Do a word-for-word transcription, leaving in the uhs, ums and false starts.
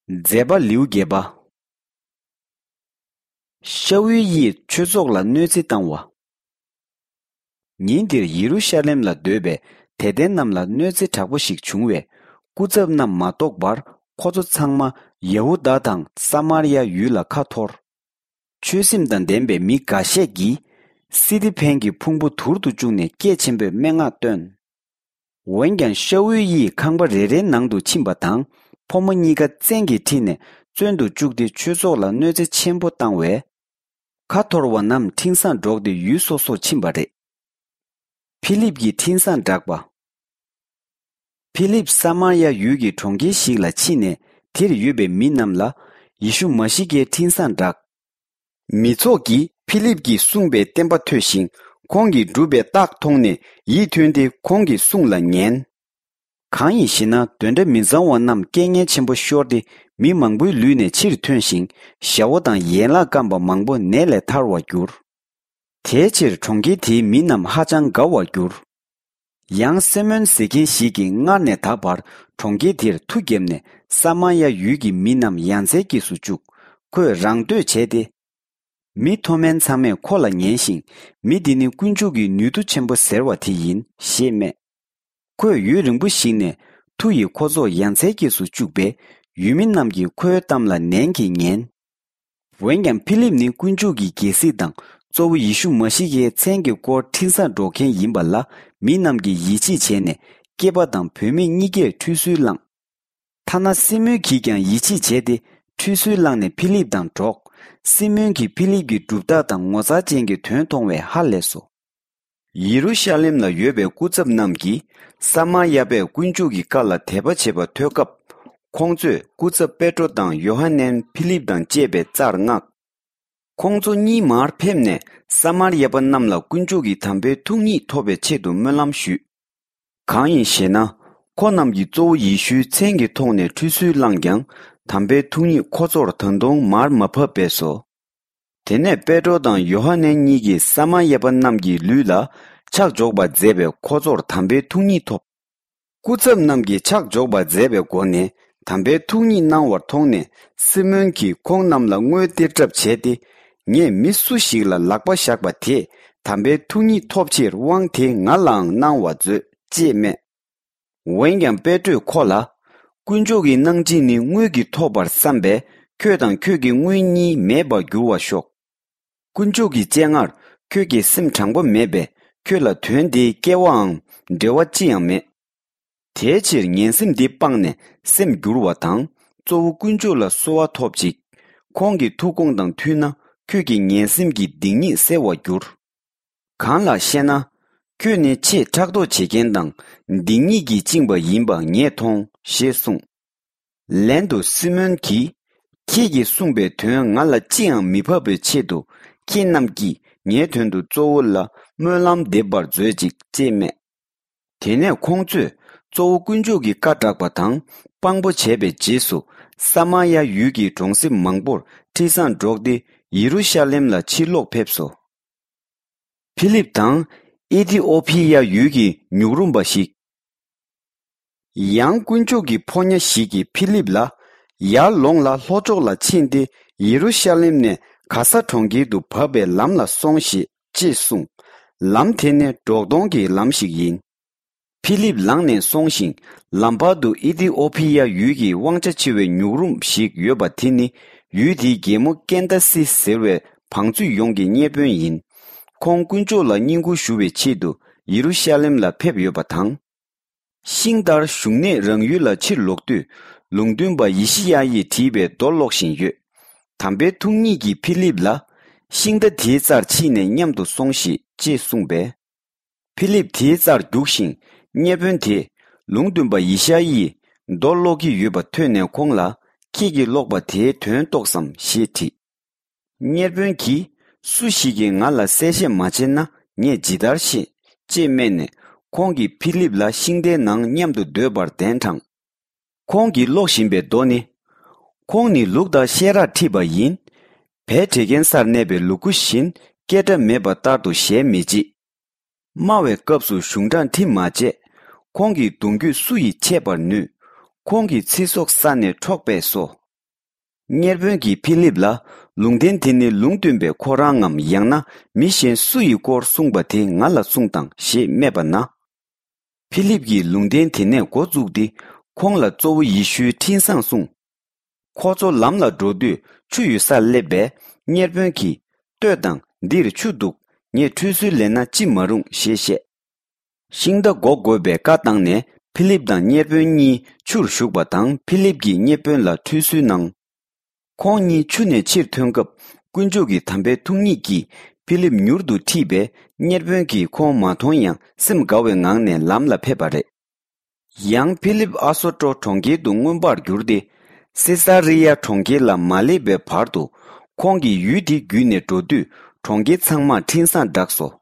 མཛད་པ་ལེའུ་བརྒྱད་པ། ཤ་ཨུལ་ཡིས་ཆོས་ཚོགས་ལ་གནོད་འཚེ་བཏང་བ། ཉིན་དེར་ཡེ་རུ་ཤ་ལེམ་ལ་སྡོད་པའི་དད་ལྡན་རྣམས་ལ་གནོད་འཚེ་དྲག་པོ་ཞིག་བྱུང་བས། སྐུ་ཚབ་རྣམས་མ་གཏོགས་པར་ཁོ་ཚོ་ཚང་མ་ཡ་ཧུ་དཱ་དང་ས་མར་ཡ་ཡུལ་ལ་ཁ་འཐོར། ཆོས་སེམས་དང་ལྡན་པའི་མི་འགའ་ཤས་ཀྱིས་སི་ཏི་ཕན་གྱི་ཕུང་པོ་དུར་དུ་བཅུག་ནས་སྐད་ཆེན་པོས་སྨྲེ་སྔགས་བཏོན། འོན་ཀྱང་ཤ་ཨུལ་ཡིས་ཁང་པ་རེ་རེའི་ནང་དུ་ཕྱིན་པ་དང་། ཕོ་མོ་གཉིས་ཀ་བཙན་གྱིས་ཁྲིད་ནས་བཙོན་དུ་བཅུག་སྟེ་ཆོས་ཚོགས་ལ་གནོད་འཚེ་ཆེན་པོ་བཏང་བས། ཁ་འཐོར་བ་རྣམས་འཕྲིན་བཟང་སྒྲོག་སྟེ་ཡུལ་སོ་སོར་ཕྱིན་པ་རེད། ཕི་ལིབ་ཀྱིས་འཕྲིན་བཟང་བསྒྲགས་པ། ཕི་ལིབ་ས་མར་ཡ་ཡུལ་གྱི་གྲོང་ཁྱེར་ཞིག་ལ་ཕྱིན་ནས་དེར་ཡོད་པའི་མི་རྣམས་ལ་ཡེ་ཤུ་མ་ཤི་ཀའི་འཕྲིན་བཟང་བསྒྲགས། མི་ཚོགས་ཀྱིས་ཕི་ལིབ་ཀྱིས་གསུངས་པའི་བསྟན་པ་ཐོས་ཤིང་ཁོང་གིས་བསྒྲུབས་པའི་རྟགས་མཐོང་ནས་ཡིད་མཐུན་ཏེ་ཁོང་གི་གསུང་ལ་ཉན། གང་ཡིན་ཞེ་ན། གདོན་འདྲེ་མི་གཙང་བ་རྣམས་སྐད་ངན་ཆེན་པོ་ཤོར་ཏེ་མི་མང་པོའི་ལུས་ནས་ཕྱིར་ཐོན་ཞིང་ཞ་བོ་དང་ཡན་ལག་སྐམ་པ་མང་པོ་ནད་ལས་ཐར་བར་གྱུར། དེའི་ཕྱིར་གྲོང་ཁྱེར་དེའི་མི་རྣམས་ཧ་ཅང་དགའ་བར་གྱུར། ཡང་སི་མོན་ཟེར་མཁན་ཞིག་གིས་སྔར་ནས་ད་བར་གྲོང་ཁྱེར་དེར་མཐུ་བརྒྱབ་ནས་ས་མར་ཡ་ཡུལ་གྱི་མི་རྣམས་ཡ་མཚན་སྐྱེས་སུ་བཅུག་ཁོས་རང་བསྟོད་བྱས་ཏེ། མི་མཐོ་དམན་ཚང་མས་ཁོ་ལ་ཉན་ཞིང་། མི་འདི་ནི་དཀོན་མཆོག་གི་ནུས་མཐུ་ཆེན་པོ་ཟེར་བ་དེ་ཡིན་ཞེས་སྨྲས། ཁོས་ཡུན་རིང་པོ་ཞིག་ནས་མཐུ་ཡིས་ཁོ་ཚོ་ཡ་མཚན་སྐྱེས་སུ་བཅུག་པས། ཡུལ་མི་རྣམས་ཀྱིས་ཁོའི་གཏམ་ལ་ནན་གྱིས་ཉན། འོན་ཀྱང་ཕི་ལིབ་ནི་དཀོན་མཆོག་གི་རྒྱལ་སྲིད་དང་གཙོ་བོ་ཡེ་ཤུ་མ་ཤི་ཀའི་མཚན་གྱི་སྐོར་འཕྲིན་བཟང་སྒྲོག་མཁན་ཡིན་པ་ལ་མི་རྣམས་ཀྱིས་ཡིད་ཆེས་བྱས་ནས་སྐྱེས་པ་དང་བུད་མེད་གཉིས་ཀས་ཁྲུས་གསོལ་བླངས། ཐ་ན་སི་མོན་གྱིས་ཀྱང་ཡིད་ཆེས་བྱས་ཏེ་ཁྲུས་གསོལ་བླངས་ནས་ཕི་ལིབ་དང་འགྲོགས། སི་མོན་གྱིས་ཕི་ལིབ་ཀྱི་གྲུབ་རྟགས་དང་ངོ་མཚར་ཅན་གྱི་དོན་མཐོང་བས་ཧ་ལས་སོ། ཡེ་རུ་ཤ་ལེམ་ལ་ཡོད་པའི་སྐུ་ཚབ་རྣམས་ཀྱིས་ས་མར་ཡ་པས་དཀོན་མཆོག་གི་བཀའ་ལ་དད་པ་བྱེད་པ་ཐོས་སྐབས། ཁོང་ཚོས་སྐུ་ཚབ་པེ་ཏྲོ་དང་ཡོ་ཧ་ནན་ཕི་ལིབ་དང་བཅས་པའི་རྩར་མངགས། ཁོང་ཚོ་གཉིས་མར་ཕེབས་ནས་ས་མར་ཡ་པ་རྣམས་ལ་དཀོན་མཆོག་གི་དམ་པའི་ཐུགས་ཉིད་ཐོབ་པའི་ཆེད་དུ་སྨོན་ལམ་ཞུས། གང་ཡིན་ཞེ་ན། ཁོ་རྣམས་ཀྱིས་གཙོ་བོ་ཡེ་ཤུའི་མཚན་གྱི་ཐོག་ནས་ཁྲུས་གསོལ་བླངས་ཀྱང་། དམ་པའི་ཐུགས་ཉིད་ཁོ་ཚོར་ད་དུང་མར་མ་ཕབ་པས་སོ། དེ་ནས་པེ་ཏྲོ་དང་ཡོ་ཧ་ནན་གཉིས་ཀྱིས་ས་མར་ཡ་པ་རྣམས་ཀྱི་ལུས་ལ་ཕྱག་འཇོག་པར་མཛད་པས་ཁོ་ཚོར་དམ་པའི་ཐུགས་ཉིད་ཐོབ། སྐུ་ཚབ་རྣམས་ཀྱིས་ཕྱག་འཇོག་པར་མཛད་པའི་སྒོ་ནས་དམ་པའི་ཐུགས་ཉིད་གནང་བར་མཐོང་ནས། སི་མོན་གྱིས་ཁོང་རྣམས་ལ་དངུལ་སྟེར་གྲབས་བྱས་ཏེ། ངས་མི་སུ་ཞིག་ལ་ལག་པ་བཞག་པ་དེས་དམ་པའི་ཐུགས་ཉིད་ཐོབ་ཕྱིར་དབང་དེ་ང་ལའང་གནང་བར་མཛོད་ཅེས་སྨྲས། འོན་ཀྱང་པེ་ཏྲོས་ཁོ་ལ། དཀོན་མཆོག་གི་གནང་སྦྱིན་ནི་དངུལ་གྱིས་ཐོབ་པར་བསམ་པས། ཁྱོད་དང་ཁྱོད་ཀྱི་དངུལ་གཉིས་མེད་པར་འགྱུར་བར་ཤོག་དཀོན་མཆོག་གི་སྤྱན་སྔར་ཁྱོད་ཀྱི་སེམས་དྲང་པོ་མེད་པས། ཁྱོད་ལ་དོན་དེའི་སྐལ་བའང་འབྲེལ་བ་ཅི་ཡང་མེད། དེའི་ཕྱིར་ངན་སེམས་འདི་སྤངས་ནས་སེམས་བསྒྱུར་བ་དང་། གཙོ་བོ་དཀོན་མཆོག་ལ་གསོལ་བ་ཐོབ་ཅིག་ཁོང་གི་ཐུགས་དགོངས་དང་མཐུན་ན། ཁྱོད་ཀྱི་ངན་སེམས་ཀྱི་སྡིག་ཉེས་སེལ་བར་འགྱུར། གང་ལགས་ཤེ་ན། ཁྱོད་ནི་ཆེས་ཕྲག་དོག་བྱེད་མཁན་དང་། སྡིག་ཉེས་ཀྱིས་བཅིངས་པ་ཡིན་པ་ངས་མཐོང་ཞེས་གསུངས། ལན་དུ་སི་མོན་གྱིས། ཁྱེད་ཀྱིས་གསུངས་པའི་དོན་ང་ལ་ཅི་ཡང་མི་ཕབ་པའི་ཆེད་དུ། ཁྱེད་རྣམས་ཀྱིས་ངའི་དོན་དུ་གཙོ་བོ་ལ་སྨོན་ལམ་འདེབས་པར་མཛོད་ཅིག་ཅེས་སྨྲས། དེ་ནས་ཁོང་ཚོས་གཙོ་བོ་དཀོན་མཆོག་གི་བཀའ་བསྒྲགས་པ་དང་དཔང་པོ་བྱས་པའི་རྗེས་སུ། ས་མར་ཡ་ཡུལ་གྱི་གྲོང་གསེབ་མང་པོར་འཕྲིན་བཟང་སྒྲོག་སྟེ། ཡེ་རུ་ཤ་ལེམ་ལ་ཕྱིར་ལོག་ཕེབས་སོ། ཕི་ལིབ་དང་ཨི་ཐི་ཨོ་ཕི་ཡ་ཡུལ་གྱི་ཉུག་རུམ་པ་ཞིག་ཡང་དཀོན་མཆོག་གི་ཕོ་ཉ་ཞིག་གིས་ཕི་ལིབ་ལ། ཡར་ལོངས་ལ་ལྷོ་ཕྱོགས་ལ་ཕྱིན་ཏེ། ཡེ་རུ་ཤ་ལེམ་ནས་ག་ས་གྲོང་ཁྱེར་དུ་བབས་པའི་ལམ་ལ་སོང་ཞིག་ཅེས་གསུངས། ལམ་དེ་ནི་འབྲོག་སྟོང་གི་ལམ་ཞིག་ཡིན། ཕི་ལིབ་ལངས་ནས་སོང་ཞིང་། ལམ་བར་དུ་ཨི་ཐི་ཨོ་ཕི་ཡ་ཡུལ་གྱི་དབང་ཆ་ཆེ་བའི་ཉུག་རུམ་ཞིག་ཡོད་པ་དེ་ནི། ཡུལ་དེའི་རྒྱལ་མོ་ཀན་ཏ་སི་ཟེར་བའི་བང་མཛོད་ཡོངས་ཀྱི་གཉེར་དཔོན་ཡིན། ཁོང་དཀོན་མཆོག་ལ་བསྙེན་བཀུར་ཞུ་བའི་ཆེད་དུ་ཡེ་རུ་ཤ་ལེམ་ལ་ཕེབས་ཡོད་པ་དང་། ཤིང་རྟར་བཞུགས་ནས་རང་ཡུལ་ལ་ཕྱིར་ལོག་དུས། ལུང་སྟོན་པ་ཡེ་ཤི་ཡ་ཡིས་བྲིས་པའི་མདོ་ཀློག་བཞིན་ཡོད། དམ་པའི་ཐུགས་ཉིད་ཀྱིས་ཕི་ལིབ་ལ། ཤིང་རྟ་དེའི་རྩར་ཕྱིན་ནས་མཉམ་དུ་སོང་ཞིག་ཅེས་གསུངས་པས། ཕི་ལིབ་དེའི་རྩར་རྒྱུགས་ཤིང་། གཉེར་དཔོན་དེས་ལུང་སྟོན་པ་ཡེ་ཤ་ཡིས་མདོ་ཀློག་གི་ཡོད་པ་ཐོས་ནས་ཁོང་ལ། ཁྱེད་ཀྱིས་ཀློག་པ་དེའི་དོན་རྟོགས་སམ་ཞེས་དྲིས། གཉེར་དཔོན་གྱིས། སུ་ཞིག་གིས་ང་ལ་གསལ་བཤད་མ་བྱས་ན་ངས་ཇི་ལྟར་ཤེས། ཅེས་སྨྲས་ནས། ཁོང་གིས་ཕི་ལིབ་ལ་ཤིང་རྟའི་ནང་མཉམ་དུ་སྡོད་པར་གདན་དྲངས། ཁོང་གིས་ཀློག་བཞིན་པའི་མདོ་ནི། ཁོང་ནི་ལུག་དང་བཤས་རར་ཁྲིད་པ་ཡིན། བལ་བྲེག་མཁན་སར་གནས་པའི་ལུ་གུ་བཞིན། སྐད་སྒྲ་མེད་པ་ལྟར་དུ་ཞལ་མི་འབྱེད། སྨྲ་བའི་སྐབས་སུ་གཞུང་དྲང་ཁྲིམས་མ་བཅད། ཁོང་གི་གདུང་རྒྱུད་སུ་ཡིས་འཆད་པར་ནུས། ཁོང་གི་ཚེ་སྲོག་ས་ནས་འཕྲོག་པས་སོ། གཉེར་དཔོན་གྱིས་ཕི་ལིབ་ལ། ལུང་བསྟན་དེ་ནི་ལུང་སྟོན་པས་ཁོ་རང་ངམ། ཡང་ན་མི་གཞན་སུ་ཡི་སྐོར་གསུངས་པ་དེ་ང་ལ་གསུངས་དང་ཞེས་སྨྲས་པ་ན། ཕི་ལིབ་ཀྱིས་ལུང་བསྟན་དེ་ནས་འགོ་བཙུགས་ཏེ། ཁོང་ལ་གཙོ་བོ་ཡེ་ཤུའི་འཕྲིན་བཟང་གསུངས། ཁོ་ཚོ་ལམ་ལ་འགྲོ་དུས་ཆུ་ཡོད་སར་སླེབས་པས། གཉེར་དཔོན་གྱིས། ལྟོས་དང་། འདིར་ཆུ་འདུག་ངས་ཁྲུས་གསོལ་ལེན་ན་ཅི་མ་རུང་ཞེས་བཤད། ཤིང་རྟ་འགོག་དགོས་པའི་བཀའ་བཏང་ནས། ཕི་ལིབ་དང་གཉེར་དཔོན་གཉིས་ཆུར་ཞུགས་པ་དང་། ཕི་ལིབ་ཀྱིས་གཉེར་དཔོན་ལ་ཁྲུས་གསོལ་གནང་། ཁོང་གཉིས་ཆུ་ནས་ཕྱིར་ཐོན་སྐབས། དཀོན་མཆོག་གི་དམ་པའི་ཐུགས་ཉིད་ཀྱིས་ཕི་ལིབ་མྱུར་དུ་ཁྲིད་པས། གཉེར་དཔོན་གྱིས་ཁོང་མ་མཐོང་ཡང་སེམས་དགའ་བའི་ངང་ནས་ལམ་ལ་ཕེབས་པ་རེད། ཡང་ཕི་ལིབ་ཨ་སོ་ཏྲོ་གྲོང་ཁྱེར་དུ་མངོན་པར་གྱུར་ཏེ། སེ་ས་རི་ཡ་གྲོང་ཁྱེར་ལ་མ་སླེབས་པའི་བར་དུ། ཁོང་གིས་ཡུལ་དེ་བརྒྱུད་ནས་འགྲོ་དུས། གྲོང་ཁྱེར་ཚང་མར་འཕྲིན་བཟང་བསྒྲགས་སོ།